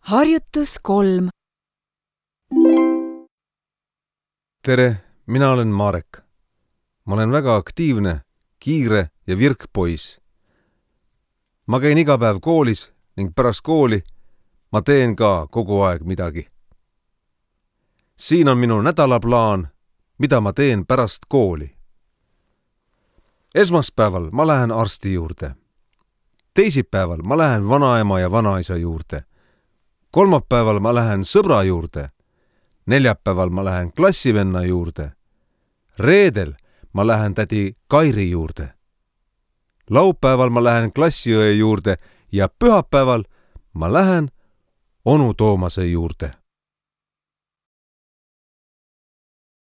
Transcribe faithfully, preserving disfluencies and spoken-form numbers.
Harjutus kolm. Tere, mina olen Marek. Ma olen väga aktiivne, kiire ja virk poiss. Ma käin iga päev koolis ning pärast kooli ma teen ka kogu aeg midagi. Siin on minu nädalaplaan, mida ma teen pärast kooli. Esmaspäeval ma lähen arsti juurde. Teisipäeval ma lähen vanaema ja vanaisa juurde. Kolmapäeval ma lähen sõbra juurde. Neljapäeval ma lähen klassivenna juurde. Reedel ma lähen tädi Kairi juurde. Laupäeval ma lähen klassiõe juurde ja pühapäeval ma lähen onu Toomase juurde.